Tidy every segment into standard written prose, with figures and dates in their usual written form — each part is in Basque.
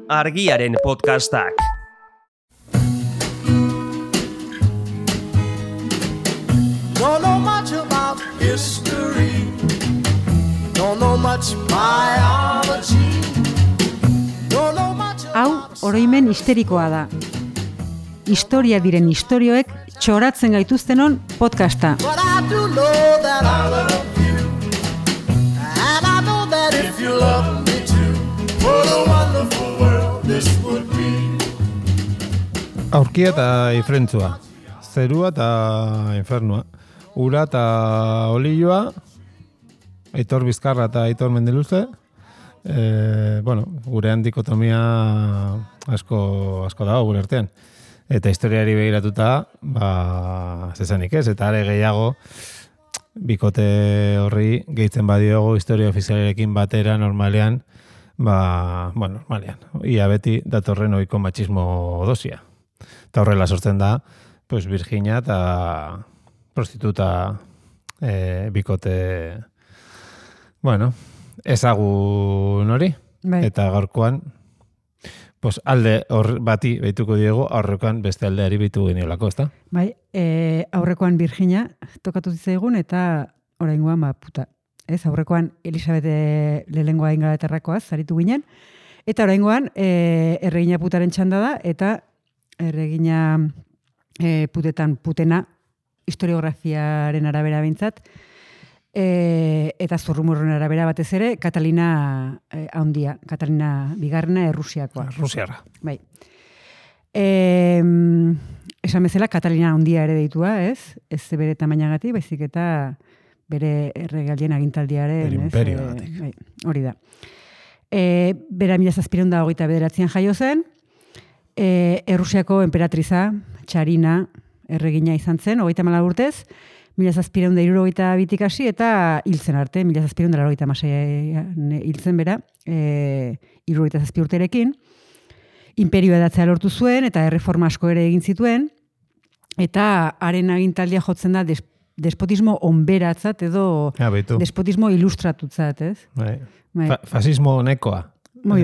Argiaren podcastak. Don't know much about history. Don't know much biology. Don't know much Hau, oroimen histerikoa da. Historia diren istorioek txoratzen gaituztenon podcasta. But I do know that I love you. And I know that if you love me too, what a wonderful world this would be. Aurkia eta ifrentzua, zerua eta infernua, ura eta olioa, Aitor Bizkarra eta Aitor Mendeluze, gurean dikotomia asko dago gure artean. Eta historiari begiratuta, zezanik ez, eta are gehiago, bikote horri gehitzen badiogo historia ofizialerekin batera normalean, normalean, ia beti datorren ohiko matxismo dosia. Eta horrela sortzen da, Virginia eta prostituta bikote, ezagun hori. Bai. Eta gaurkoan, alde hor bati behituko diego, aurrekoan beste aldeari behitu geniolako, ezta? Bai, aurrekoan Virginia tokatu zitzaigun eta oraingoan Ez, aurrekoan Elisabete lehengoa Ingalaterrakoaz zaritu ginen, eta oraingoan erregina putaren txanda da, eta erregina putena historiografiaren arabera behintzat, eta zurrumurruen arabera batez ere, Katalina handia, Katalina bigarrena Errusiakoa. Rusiarra. Bai. Esan bezala, Katalina handia ere deitua, ez? Ez bere tamainagatik, baizik eta bere erregaldien agintaldiaren. Bere imperioagatik. Bai, hori da. Bera 1729 jaio zen, Errusiako enperatriza, Txarina, erregina izan zen, 34 urtez, 1772 hasi eta hiltzen arte, 1786 hiltzen bera, 77 urterekin, imperioa edatzea lortu zuen, eta erreforma asko ere egin zituen, eta haren agintaldia jotzen da despotismo onberatzat edo despotismo ilustratutzat, ez? Bai. Fasismo nekoa. Bai.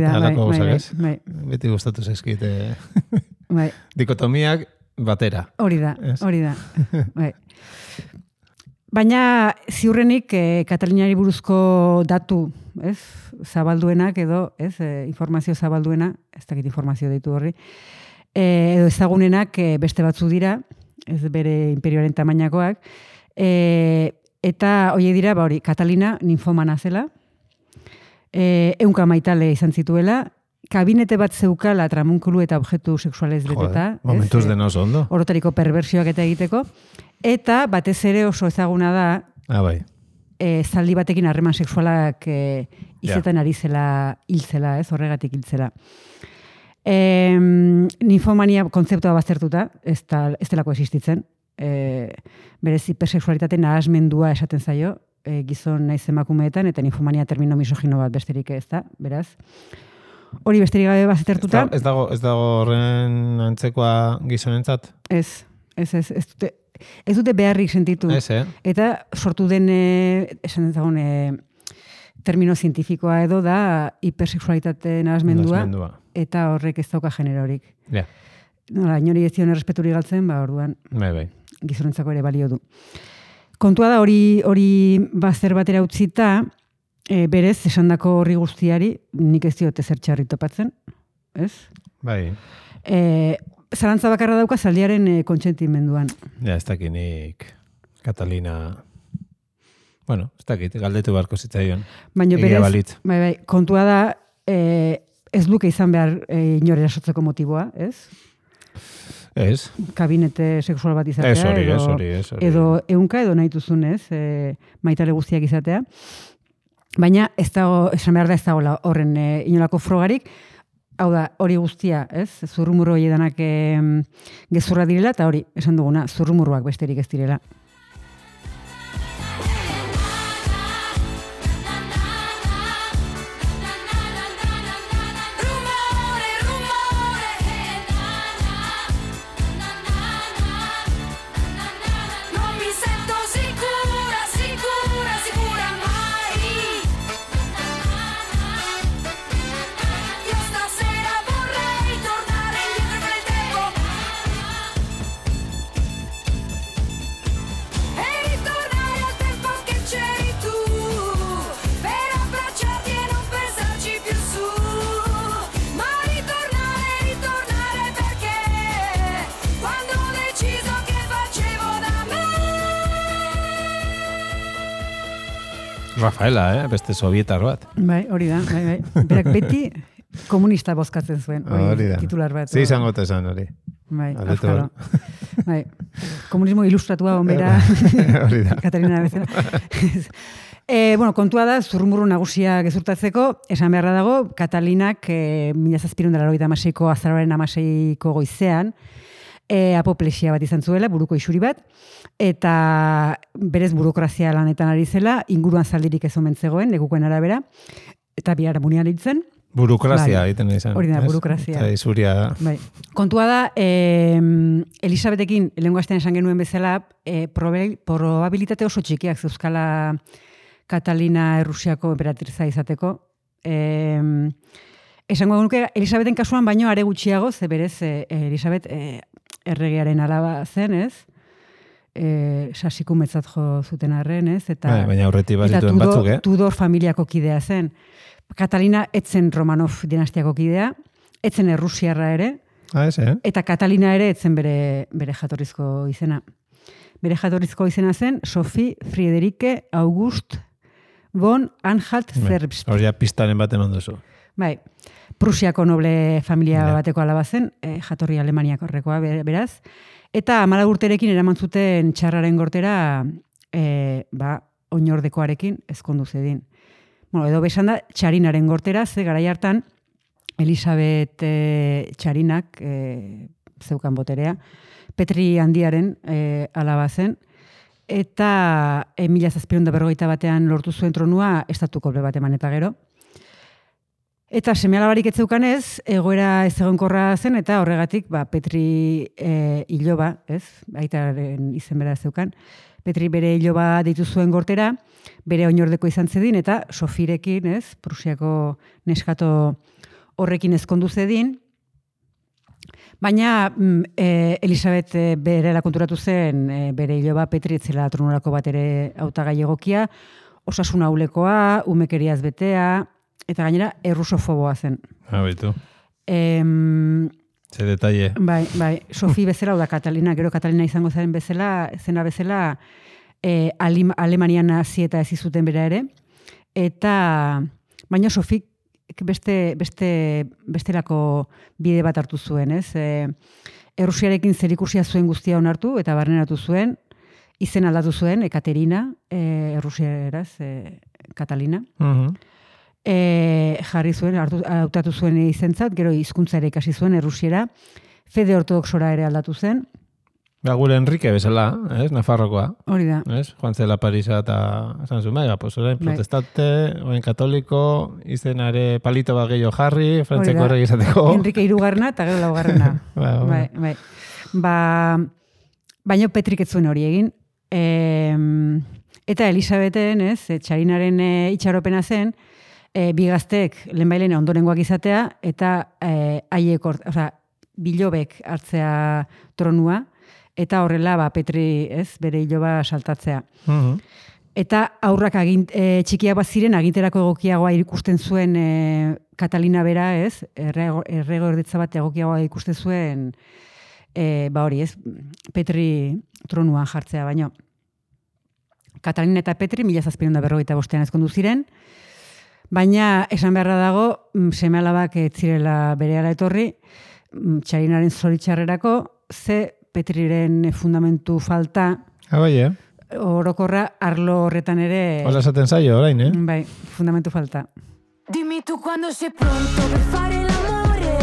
Beti gustatu zaizkite. Bai. Dikotomiak batera. Hori da. Bai. Baina ziurrenik Katalinari buruzko datu, ez? Zabalduenak edo, ez? Informazio zabalduena, ez dakit informazio deitu horri, edo ezagunenak beste batzu dira, ez bere imperioaren tamainakoak, eta horiek dira, Katalina ninfomana zela, 100 maitale izan zituela, kabinete bat zeukala tramunkulu eta objektu sexualez beteta. Momentuz dena oso ondo. Orotariko perversioak eta egiteko. Eta batez ere oso ezaguna da, zaldi batekin harreman sexualak izetan ari zela, hiltzela, ez, horregatik hiltzela. Ninfomania kontzeptua baztertuta, ez delako existitzen. Berez hipersexualitate nahasmendua esaten zaio, gizon naiz emakumeetan, eta ninfomania termino misogino bat besterik ez da, beraz. Hori besterik gabe baztertuta. Ez dago horren antzekoa gizonentzat? Ez dute beharrik sentitu. Eta sortu den, esan dezagun, termino zientifikoa edo da hipersexualitate nahasmendua, eta horrek ez dauka generorik. Inori ez zion errespeturik galtzen, orduan gizonentzako ere balio du. Kontua da hori bazter batera utzita, berez, esandako horri guztiari, nik ez diote zer txarri topatzen, ez? Bai. Zalantza bakarra dauka zaldiaren kontsentimenduan. Ez dakinik Katalina... ez dakit, galdetu beharko zitzaion. Baina berez, kontua da, ez duke izan behar inor erasotzeko motiboa, ez? Ez. Kabinete sexual bat izatea. Ez. Edo ehunka edo nahi duzun, ez? Maitale guztiak izatea. Baina ez dago, esan behar da ez dago horren inolako frogarik, hau da, hori guztia, ez? Zurrumurro edanak gezurra direla, eta hori, esan duguna, zurrumurroak besterik ez direla. Io stasera Rafaela, beste sovietar bat. Bai, hori da, bai. Berak beti komunista bozkatzen zuen. Hori da. Titular bat. Zi izango esan hori. Bai, Aldetu afkaro. Bai. Komunismo ilustratua onbera. Hori da. Katarina bezala. Bueno, kontua da, zurrumurru nagusia gezurtatzeko, esan beharra dago, Katalinak 1786ko azaroaren 16ko goizean, apoplesia bat izan zuela, buruko isuri bat, eta berez burokrazia lanetan ari zela, inguruan zaldirik ez omen zegoen, lekukoen arabera, eta bihar munian ditzen. Burokrazia egiten izan. Hori da, burokrazia. Eta izuria da. Bai. Kontua da, Elisabetekin, lehengo astean esan genuen bezala, probabilitate oso txikiak zeuzkala Katalina Errusiako emperatriza izateko. Esango nuke, Elisabeten kasuan baino are gutxiago, ze berez Elisabet erregearen alaba zen, ez? Sasikumetzat jo zuten arren, ez? Eta, baina aurretik bazituen batzuk, Tudor familiako kidea zen. Katalina etzen Romanov dinastiako kidea, etzen Errusiarra ere, eta Katalina ere etzen bere jatorrizko izena. Bere jatorrizko izena zen Sophie Friederike August von Anhalt-Zerbst. Hori pistaren baten ondozu. Bai, Prusiako noble familia bateko alaba zen, jatorri Alemaniako horrekoa beraz, eta 14 urterekin eraman zuten txarraren gortera, oinordekoarekin ezkondu zedin. Bueno, edo besan da, txarinaren gortera, ze garai hartan, Elisabet txarinak zeukan boterea, Petri handiaren alaba zen, eta 1751 lortu zuen tronua estatuko bat eman eta gero. Eta seme-alabarik ez zeukanez, egoera ez egonkorra zen, eta horregatik Petri iloba, ez? Aitaren izen bera zeukan. Petri bere iloba deitu zuen gortera, bere oinordeko izan zedin, eta Sofirekin, ez? Prusiako neskato horrekin ezkondu zedin. Baina Elisabet berela konturatu zen, bere iloba Petri etzela tronurako bat ere hautagai egokia, osasun ahulekoa, umekeriaz betea, eta gainera errusofoboa zen. Baitu. Ze detalle. Bai, Sofi bezala, da Katalina, gero Katalina izango zena bezala, Alemanian nazi eta ez izuten bera ere, eta baina Sofik bestelako bide bat hartu zuen, ez? Errusiarekin zerikusia zuen guztia onartu eta barneratu zuen, izen aldatu zuen, Ekaterina, Errusiaraz, Katalina. Jarri zuen, hautatu zuen izentzat, gero hizkuntza ere ikasi zuen Errusiera, fede ortodoxora ere aldatu zen. Gure Enrique bezala, Nafarrokoa. Hori da. Joan zela Parisa eta esan zuen, pues orain protestante, orain katoliko, izenare palito bat gehiago jarri, frantzeko horrek izateko. Enrique irugarna eta gero laugarrena. Bai. Baina Petrik ez zuen hori egin. Eta Elisabeten, txarinaren itxaropena zen, bigaztek lehenbailen ondorengoak izatea, eta haiek, bilobek hartzea tronua, eta horrela Petri, bere iloba saltatzea. Eta aurrak txikiak bat ziren, aginterako egokiagoa ikusten zuen Katalina bera, erregordetza bat egokiagoa ikusten zuen, hori, Petri tronuan jartzea, baino. Katalina eta Petri 1755 ezkondu ziren, baina esan beharra dago, seme-alabak ez zirela berehala etorri, txarinaren zoritxarrerako, ze Petriren fundamentu falta, orokorra arlo horretan ere... Hola esaten zaio, orain, Bai, fundamentu falta. Dimmi tu quando sei pronto per fare l'amore,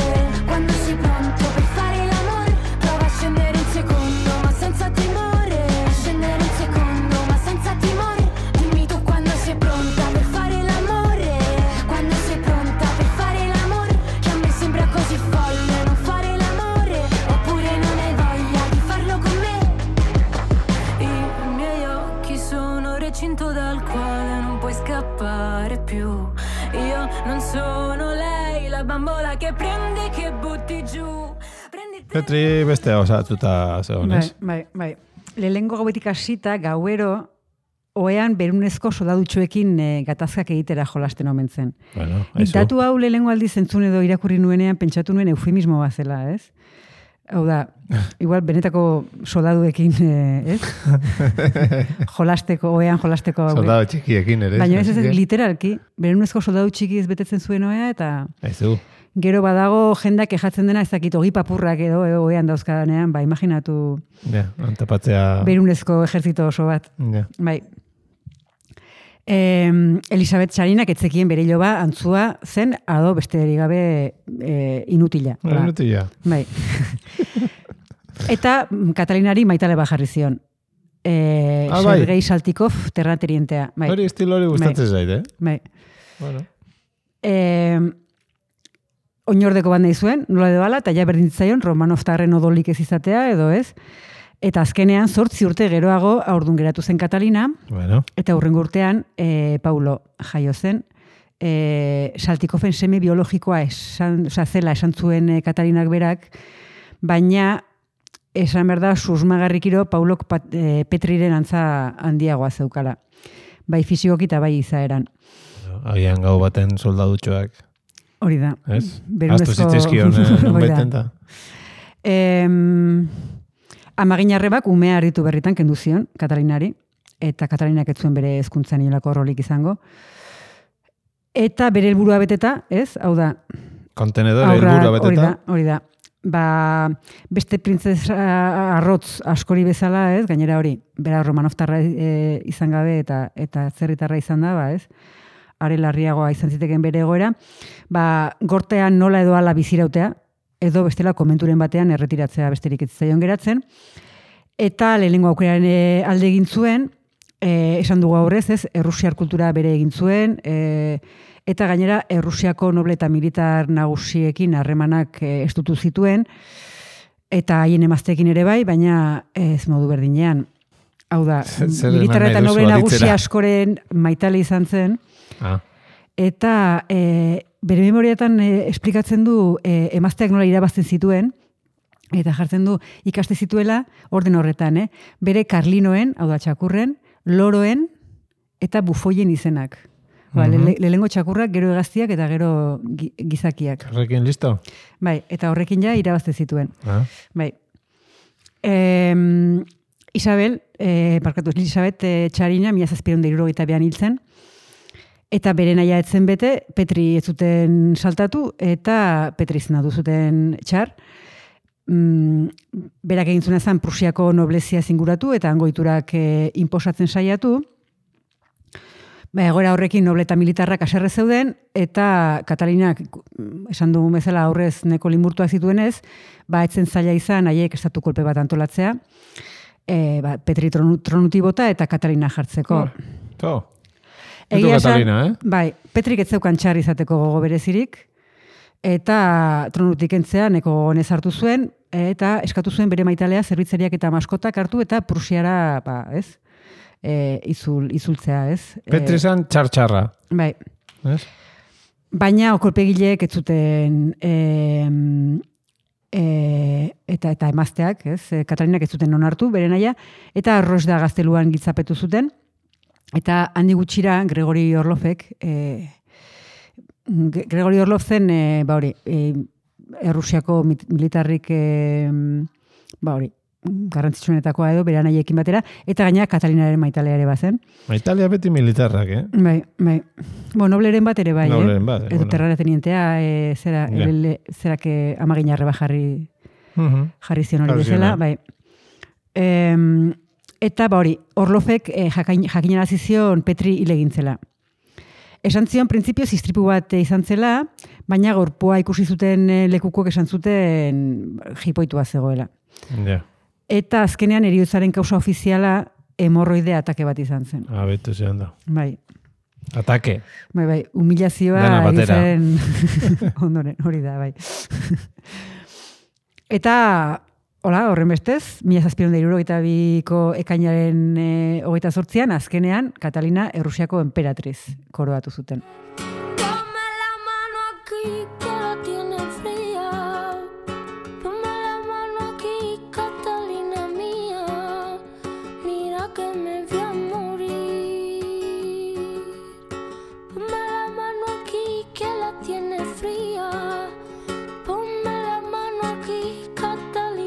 quando sei pronto per fare l'amore, prova a scendere un secondo ma senza timore, scendere un secondo ma senza timore. Dimmi tu quando sei pronta per fare l'amore, quando sei pronta per fare l'amore, che a me sembra così folle non fare l'amore, oppure non hai voglia di farlo con me. I miei occhi sono recinto dal quale non puoi scappare più. Io non sono lei, la bambola che prendi, che butti giù. Petri beste osatuta zegonez. Bai. Lehengo gauetik hasita, gauero, oean berunezko soldadutxoekin gatazkak egitera jolasten omen zen. Bueno, datu hau lehengo aldiz entzun edo irakurri nuenean pentsatu nuen eufemismo bat zela, ez? Hau da, igual benetako soldaduekin, ez? Ohean jolasteko. Soldadu txikiekin ere. Baina ez literalki, berunezko soldadu txiki ez betetzen zuen ohea, eta gero badago jendak kejatzen dena, ez dakit, ogi papurrak edo ohean dauzkadanean, ba, imaginatu antapatzea berunezko ejertzito oso bat. Bai. Elisabet Txarinak etzekien bere iloba antzua zen, ado besterik gabe inutila. Inutila. Bai. Eta Katalinari maitale bajarri zion. Sergei Saltikov terraterientea. Bai. Hori estilo hori gustatzen zait, Bai. Bueno. Oinordeko bat nahi zuen, nola edo ala, eta ja berdintzaion Romanovtarren odolik ez izatea, edo ez. Eta azkenean 8 urte geroago aurdun geratu zen Katalina, eta hurrengo urtean Paulo jaio zen. Saltikofen seme biologikoa zela esan zuen Katalinak berak, baina esan behar da susmagarrikiro Paulok Petriren antza handiagoa zeukala. Bai fisikoki eta bai izaeran. Agian gau baten soldadutxoak. Hori da. Ez? Aztu zitzizkion baiten da. Amaginarrebak umea harritu berritan kendu zion Katalinari, eta Katalinak ez zuen bere hezkuntzan inolako rolik izango. Eta bere helburua beteta, ez? Hau da. Kontenedore helburua beteta. Hori da. Ba, beste printzesa arrotz askori bezala, ez? Gainera hori, bera Romanovtarra izan gabe eta zerritarra izan da, ba, ez? Are larriagoa izan ziteken bere egoera. Ba, gortean nola edo ala bizirautea, edo bestela komenturen batean erretiratzea besterik ez zaion geratzen. Eta lehenengo aukeraren alde egin zuen, esan dugu aurrez, ez, errusiar kultura bere egin zuen, eta gainera errusiako noble eta militar nagusiekin harremanak estutu zituen, eta haien emazteekin ere bai, baina ez modu berdinean. Hau da, militar eta noble nagusi askoren maitale izan zen, eta bere memoriatan esplikatzen du emazteak nola irabazten zituen, eta jartzen du ikaste zituela orden horretan, bere karlinoen, hau da txakurren, loroen eta bufoien izenak. Lehengo txakurrak, gero hegaztiak eta gero gizakiak. Horrekin listo? Bai, eta horrekin ja irabazten zituen. Bai. Elisabet Txarina, 1762 hiltzen, eta bere naia etzen bete, Petri ez zuten saltatu, eta Petri zenatu zuten Txar. Berak egin zuen zen Prusiako noblezia zinguratu, eta angoiturak inposatzen saiatu. Egoera horrekin noble eta militarrak aserre zeuden, eta Katalinak, esan dugun bezala aurrez neko limurtuak zituenez, etzen zaila izan haiek estatu kolpe bat antolatzea, Petri tronuti bota eta Katalina jartzeko. Egia Katalina, Bai, Petrik ez zeukan Txar izateko gogo berezirik, eta tronutik entzea neko gogonez hartu zuen, eta eskatu zuen bere maitalea zerbitzariak eta maskotak hartu, eta Prusiara, ez, izultzea, ez. Petri zan txar-txarra. Bai. Baina okolpegileek ez zuten eta emazteak, ez, Katalinak ez zuten onartu, bere naia, eta Rosda gazteluan giltzapetu zuten, eta handi gutxira Gregori Orlovek, Gregori Orlov zen, Errusiako militarrik, garrantzitsuenetakoa edo, bere naiekin batera, eta gaina Katalinaren maitalea ere bazen. Maitalia beti militarrak, Bai. Nobleren bat ere bai, Nobleren bat, edo terrara tenientea, zerak amaginarre jarri zion hori bezala, bai. Eta Orlovek jakinarazi zion Petri hil egin zela. Esan zion printzipioz istripu bat izan zela, baina gorpua ikusi zuten lekukoek esan zuten jipoitua zegoela. Eta azkenean heriotzaren kausa ofiziala hemorroide atake bat izan zen. Betu zean da. Bai. Atake. Bai, humilazioa egin ondoren, hori da, bai. Eta horren bestez, 1762ko ekainaren 28an, azkenean, Katalina Errusiako emperatriz koroatu zuten. Ponme la mano aquí, Catalina.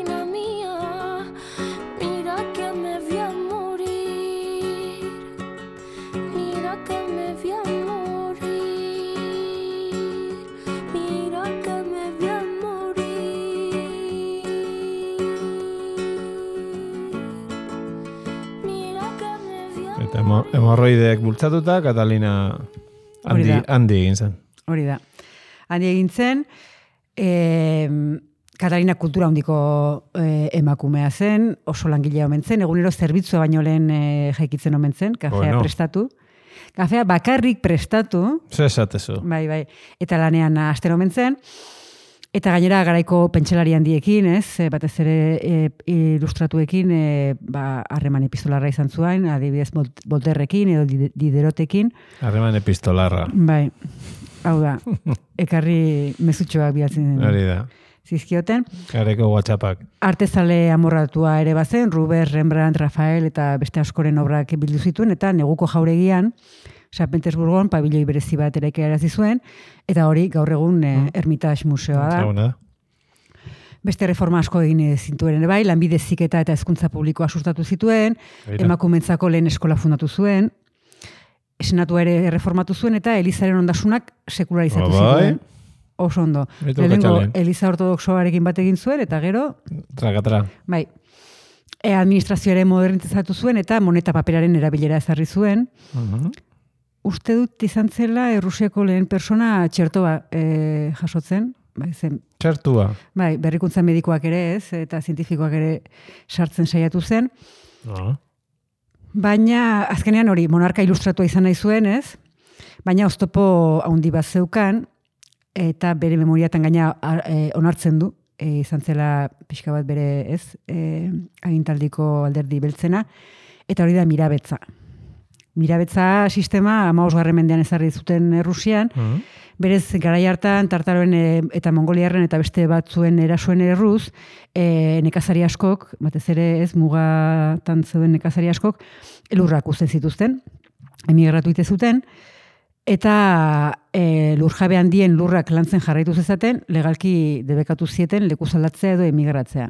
hemorroideak bultzatuta, Katalina handi egin zen. Hori da. Handi egin zen, Katalina kultura handiko emakumea zen, oso langilea omen zen, egunero zerbitzua baino lehen jaikitzen omen zen, kafea prestatu. Kafea bakarrik prestatu. Zer esatezu. Bai. Eta lanean asten omen zen. Eta gainera garaiko pentsalari handiekin, batez ere ilustratuekin, harreman epistolarra izan zuen, adibidez Volterrekin edo Diderotekin. Harreman epistolarra. Bai, hau da, ekarri mezutxoak bihatzen Hori da. Zizkioten. Gareko WhatsAppak. Artezale amorratua ere bazen, Rubens, Rembrandt, Rafael eta beste askoren obrak bildu zituen, eta neguko jauregian, San Petersburgon pabiloi berezi bat eraiki zuen, eta hori gaur egun Hermitage museoa da. Beste reforma asko egin zintuen ere bai, lanbide heziketa eta hezkuntza publikoa sustatu zituen, emakumentzako lehen eskola fundatu zuen, senatua ere reformatu zuen, eta Elizaren ondasunak sekularizatu zituen. Oso ondo. Lehenengo Eliza ortodoxoarekin bat egin zuen, eta gero... Trakatra. Bai. Administrazioare modernizatu zuen, eta moneta paperaren erabilera ezarri zuen. Uste dut izan zela Errusiako lehen persona txertoa jasotzen. Bai, zen. Txertua. Bai, berrikuntza medikoak ere ez, eta zientifikoak ere sartzen saiatu zen. Baina, azkenean hori, monarka ilustratua izan nahi zuen, ez? Baina oztopo handi bat zeukan, eta bere memoriatan gaina onartzen du, izan zela pixka bat bere, ez? Agintaldiko alderdi beltzena, eta hori da mirabetza. Mirabetza sistema 15. mendean ezarri zuten Errusian, berez garai hartan Tartaroen eta Mongoliarren eta beste batzuen erasoen erruz, nekazari askok, batez ere ez mugatan zeuden nekazari askok, lurrak uzten zituzten, emigratu ite zuten, eta lurjabe handien lurrak lantzen jarraitu zezaten, legalki debekatu zieten lekuz aldatzea edo emigratzea.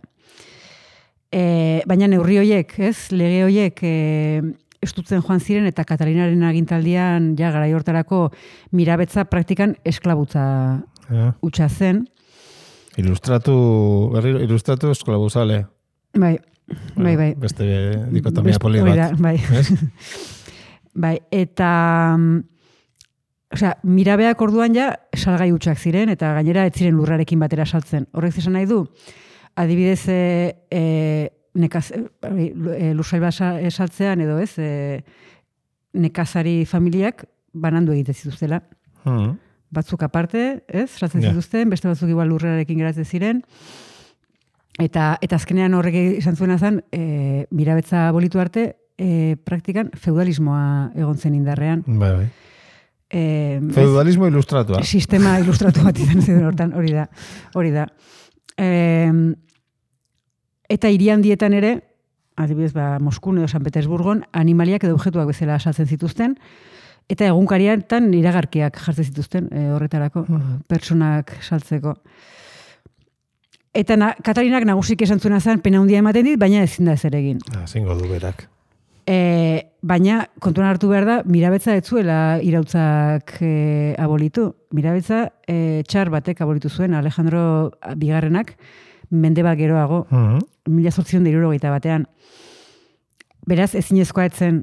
Baina neurri horiek, ez, lege horiek estutzen joan ziren eta Katalinaren agintaldian ja garai hortarako mirabetza praktikan esklabutza hutsa zen. Ilustratu esklabuzale. Bai. Beste dikotomia poli bat. Bai. Bai, eta mirabeak orduan ja salgai hutsak ziren eta gainera ez ziren lurrarekin batera saltzen. Horrek esan nahi du, adibidez lursail bat esaltzean edo ez, nekazari familiak banandu egiten zituztela. Batzuk aparte, ez, saltzen zituzten, beste batzuk igual lurrarekin geratzen ziren, eta azkenean horrek izan zuena zen, mirabetza bolitu arte, praktikan feudalismoa egon zen indarrean. Bai. Feudalismo ilustratua. Sistema ilustratu bat izan zen hortan, hori da. Eta hiri handietan ere, adibidez, Moskun edo San Petersburgon, animaliak edo objektuak bezala saltzen zituzten, eta egunkariatan iragarkiak jartzen zituzten horretarako, pertsonak saltzeko. Eta Katalinak nagusik esan zuena zen, pena handia ematen dit, baina ezin da ezer egin. Zingo du berak. Baina, kontuan hartu behar da, mirabetza ez zuela irautzak abolitu. Mirabetza txar batek abolitu zuen, Alejandro Bigarrenak, mende bat geroago, 1870 batean. Beraz, ezinezkoa etzen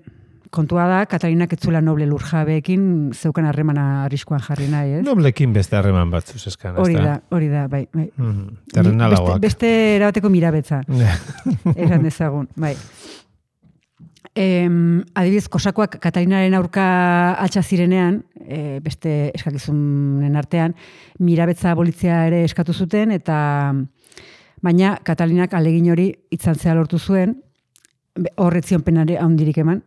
kontua da, Katalinak ez zuela noble lurjabeekin zeukan harremana arriskoan jarri nahi, ez? Noblekin beste harreman batzuz eskan, ez Hori da, bai. Terrenalagoak. Beste erabateko mirabetza. Esan dezagun, bai. Adibidez, kosakoak Katalinaren aurka altxa zirenean, beste eskakizunen artean, mirabetza abolitzea ere eskatu zuten, eta baina Katalinak alegin hori itzaltzea lortu zuen, horretzion penare handirik eman,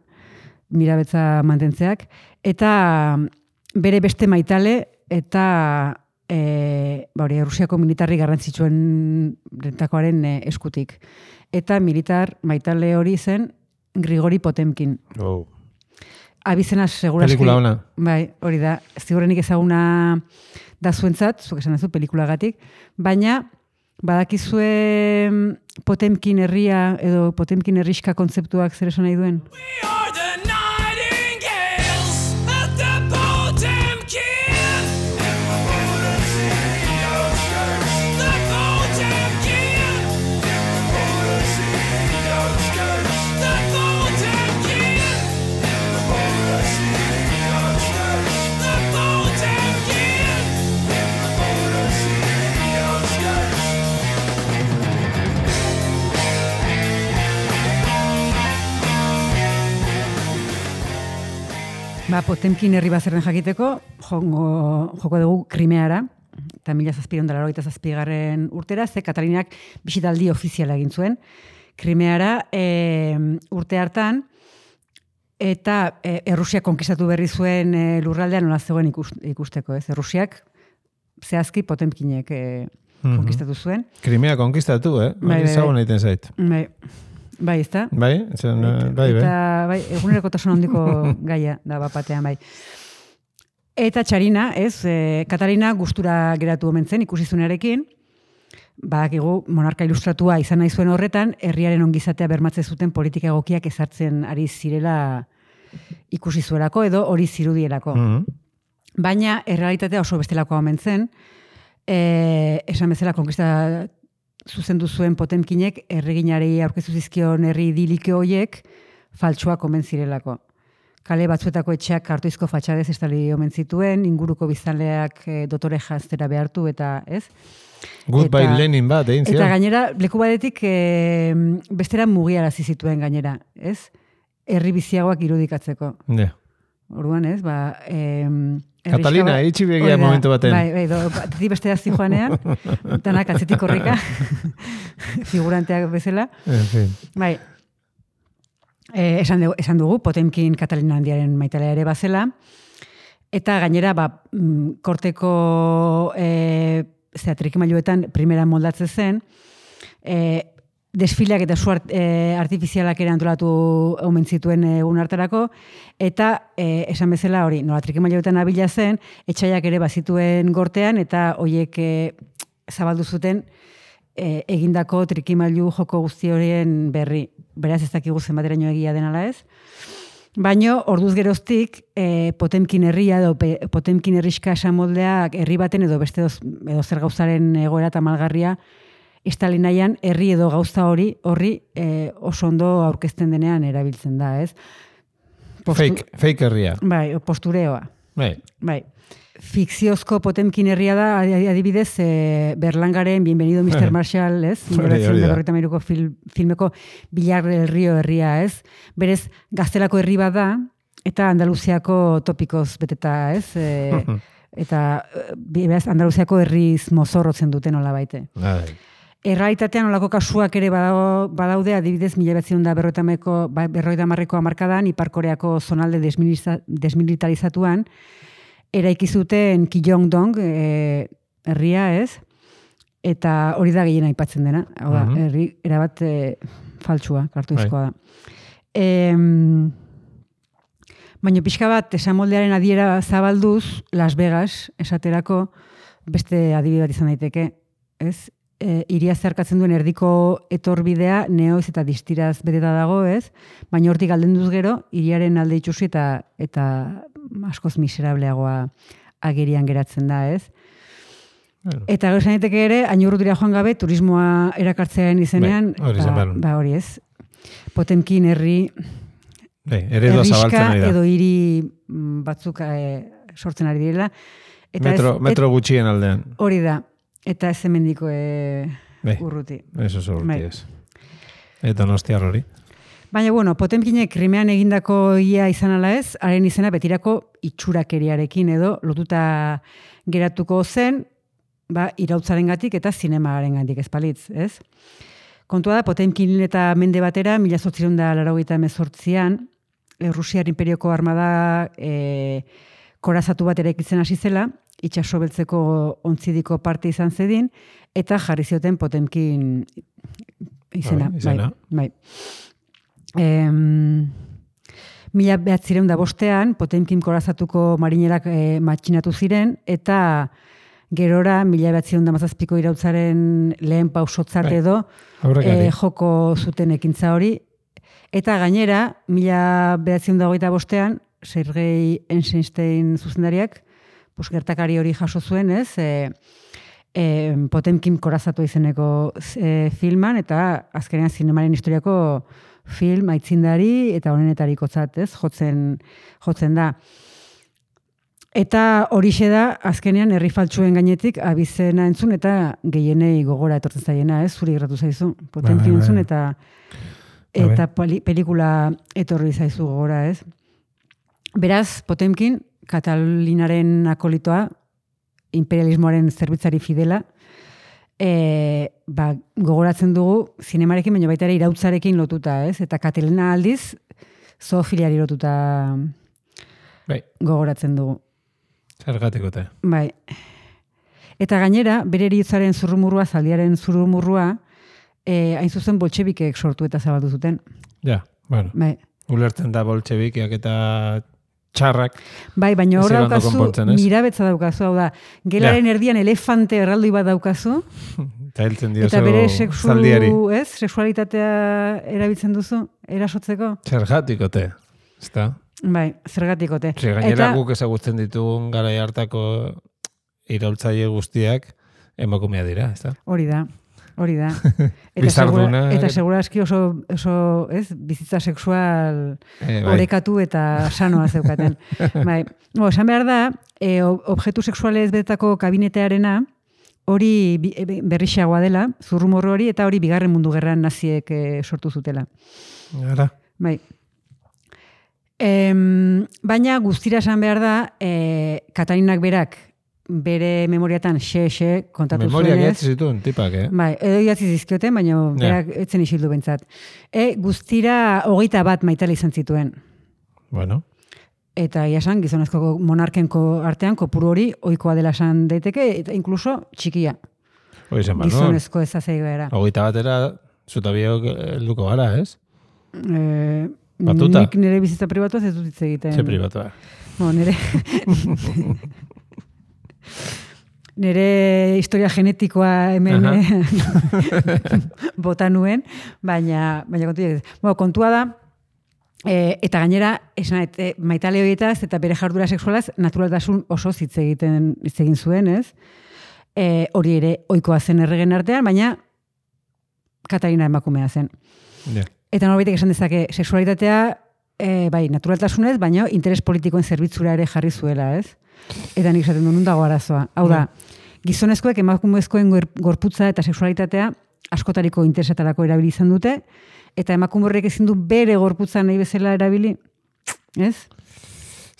mirabetza mantentzeak, eta bere beste maitale, eta Errusiako militarri garrantzitsuen rentakoaren eskutik. Eta militar maitale hori zen Grigori Potemkin. Abizena seguraski. Pelikula ona. Bai, hori da. Ziurrenik ezaguna da zuentzat, zuk esan duzu pelikulagatik, baina badakizue Potemkin herria edo Potemkin herriska kontzeptuak zer esan nahi duen? Potemkin herri bazerren jakiteko, joko dugu Krimeara, eta 1787 urtera, ze Katalinak bisitaldi ofiziala egin zuen. Krimeara urte hartan, eta Errusiak konkistatu berri zuen lurraldean nola zegoen ikusteko, ez? Errusiak zehazki Potemkinek konkistatu zuen. Krimea konkistatu, Bai, zagun egiten zait. Bai, ezta? Bai? Eta, egunerokotasun handiko gaia da bapatean, bai. Eta Txarina, ez, Katalina gustura geratu omen zen ikusizunarekin, badakigu monarka ilustratua izan nahi zuen horretan, herriaren ongizatea bermatzen zuten politika egokiak ezartzen ari zirela ikusi zuelako edo hori zirudielako. Baina, errealitatea oso bestelakoa omen zen, esan bezala konkista zuzendu zuen Potemkinek erreginari aurkeztu zizkion herri idilike horiek faltsuak omen zirelako. Kale batzuetako etxeak kartoizko fatxadez estali omen zituen, inguruko biztanleak dotore janztera behartu eta, ez? Goodbye Lenin bat, egin zion. Eta gainera, leku batetik bestera mugiarazi zituen gainera, ez? Herri biziagoak irudikatzeko. Ja. Orduan, ez? Katalina, itxi begia momentu baten. Bai, batetik bestera zijoanean, danak atzetik korrika, figuranteak bezala. En fin. Bai, esan dugu, Potemkin Katalina handiaren maitalea ere bazela, eta gainera, korteko trikimailuetan primera moldatze zen, desfileak eta su artifizialak ere antolatu omen zituen egun hartarako, eta esan bezala hori, nola trikimailuetan abila zen, etxaiak ere bazituen gortean, eta horiek zabaldu zuten egindako trikimailu joko guzti horien berri. Beraz ez dakigu zenbateraino egia denala ez. Baina, orduz geroztik, Potemkin herria edo Potemkin herriska esamoldeak herri baten edo beste edo zer gauzaren egoera eta malgarria Stalinaian herri edo gauza horri oso ondo aurkezten denean erabiltzen da, ez? Fake herria. Bai, postureoa. Bai. Fikziozko Potemkin herria da, adibidez, Berlangaren Bienvenido Mr. Marshall, ez? 1943ko filmeko Bilar del Rio herria, ez? Berez, Gaztelako herri bat da, eta Andaluziako topikoz beteta, ez? Eta beraz, Andaluziako herriz mozorrotzen duten nola baite. Errealitatean olako kasuak ere badaude, adibidez, 1950ko hamarkadan, Ipar-Koreako zonalde desmilitarizatuan, eraiki zuten Kijong-dong herria, ez? Eta hori da gehien aipatzen dena. Hau da, herri erabat faltsua, kartuizkoa da. Baina pixka bat, esamoldearen adiera zabalduz, Las Vegas, esaterako, beste adibide bat izan daiteke, ez? Hiria zeharkatzen duen erdiko etorbidea, neoiz eta distiraz beteta dago, ez? Baina hortik aldenduz gero, hiriaren alde itxusi eta askoz miserableagoa agerian geratzen da, ez? Eta gero esan daiteke ere, hainurrutira joan gabe, turismoa erakartzearen izenean, hori ez. Potemkin herri herriska edo hiri batzuk sortzen ari direla. Metro gutxien aldean. Hori da. Eta ez hemendiko urruti. Eso urruti ez. Eta nostiar hori. Baina, Potemkinek Krimean egindako ia izan ala ez, haren izena betirako itxurakeriarekin edo lotuta geratuko zen, irautzarengatik eta zinemagarengatik ezpalitz, ez? Kontua da, Potemkin eta mende batera, 1888an, Rusiar imperioko armada korazatu bat eraikitzen hasi zela, itxaso beltzeko ontzidiko parte izan zedin, eta jarri zioten Potemkin izena. Bai. 1905 Potemkin korazatuko marinerak matxinatu ziren, eta gerora 1917ko irautzaren lehen pausotzat edo joko zuten ekintza hori. Eta gainera, 1925 Sergei Eisenstein zuzendariak gertakari hori jaso zuen, ez? Potemkin korazatu izeneko filman, eta azkenean zinemaren historiako film aitzindari eta honenetarikotzat, ez? Jotzen da. Eta horixe da, azkenean herri faltsuen gainetik abizena entzun eta gehienei gogora etortzen zaiena, ez? Zuri geratu zaizu. Potemkin entzun eta pelikula etorri zaizu gogora, ez? Beraz, Potemkin, Katalinaren akolitoa, imperialismoaren zerbitzari fidela, gogoratzen dugu zinemarekin, baina baita ere irautzarekin lotuta, ez? Eta Katalina aldiz, zoofiliari lotuta gogoratzen dugu. Zergatikote. Bai. Eta gainera, bere heriotzaren zurrumurrua, zaldiaren zurrumurrua, hain zuzen boltxebikek sortu eta zabaldu zuten. Ja, bueno. Bai. Ulertzen da boltxebikiak eta txarrak. Bai, baina hor daukazu, mirabetza daukazu, hau da, gelaren erdian elefante erraldoi bat daukazu, eta heltzen diozu eta bere zaldiari. sexualitatea erabiltzen duzu, erasotzeko. Zergatikote, ezta? Bai, zergatikote. Gainera guk ezagutzen ditugun garai hartako iraultzaile guztiak emakumea dira, ezta? Hori da. Bizarduna. Eta segurazki oso ez, bizitza sexual orekatu eta sanoa zeukaten. Bai. Esan behar da, objektu sexualez betako kabinetearena, hori berrixagoa dela, zurrumorro hori, eta hori bigarren mundu gerran naziek sortu zutela. Gara. Bai. Baina guztira esan behar da, Katalinak berak bere memoriatan xe kontatu zuenez. Memoriak idatzi zituen, tipak, Bai, edo idatzi zizkioten, baina berak etzen isildu bentsat. Guztira 21 maitale izan zituen. Bueno. Eta iasan, gizonezko monarkenko artean, kopuru hori ohikoa dela esan daiteke, eta inkluso txikia. Hoi zen bat, gizonezko ezazei gara. 21 batera, zutabiok helduko gara, ez? Batuta? Nik nire bizitza pribatuaz ez dut hitz egiten. Ze pribatua? Nire historia genetikoa hemen bota nuen, baina kontua da, eta gainera, maitale horietaz eta bere jardura sexualaz naturaltasun oso hitz egin zuen, ez? Hori ere ohikoa zen erregen artean, baina Katalina emakumea zen. Eta norbaitek esan dezake, sexualitatea, bai, naturaltasunez, baina interes politikoen zerbitzura ere jarri zuela, ez? Eta nik esaten du nun dago arazoa. Hau da, gizonezkoek emakumezkoen gorputza eta sexualitatea askotariko interesetarako erabili izan dute, eta emakume horrek ezin du bere gorputza nahi bezala erabili, ez?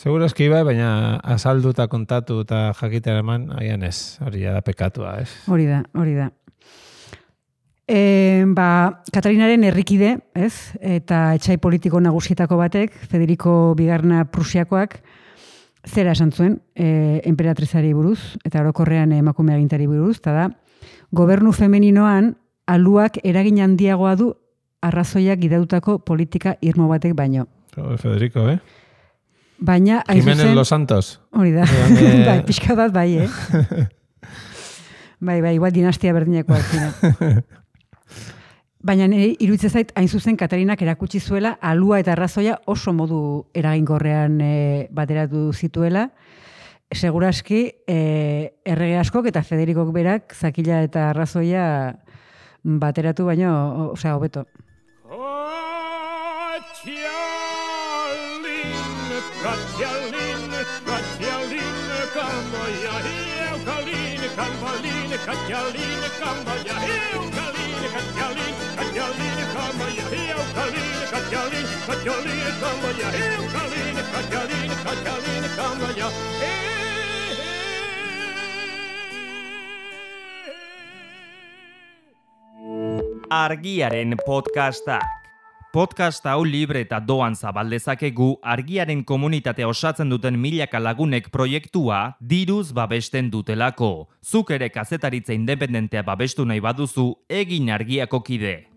Segurazki bai, baina azaldu eta kontatu eta jakitera eman, haian ez, hori da pekatua, ez? Hori da. Katalinaren herrikide, ez? Eta etxai politiko nagusietako batek, Federico Bigarna Prusiakoak, zera esan zuen, enperatrizari buruz, eta orokorrean emakume agintari buruz, eta da, gobernu femeninoan aluak eragin handiagoa du arrazoiak gidautako politika irmo batek baino. Federico, Baina, Jimenez Los Santos. Hori da, bai, pixka bat bai, Bai, igual dinastia berdinekoak zira. Baina iruditzen zait, hain zuzen Katalinak erakutsi zuela alua eta arrazoia oso modu eraginkorrean bateratu zituela. Seguraski, errege askok eta Federikok berak zakila eta arrazoia bateratu baino, osea, hobeto. Argiaren podcastak. Podcast hau libre eta doan zabaldezakegu Argiaren komunitatea osatzen duten milaka lagunek proiektua diruz babesten dutelako. Zuk ere kazetaritza independentea babestu nahi baduzu, egin Argiako kide.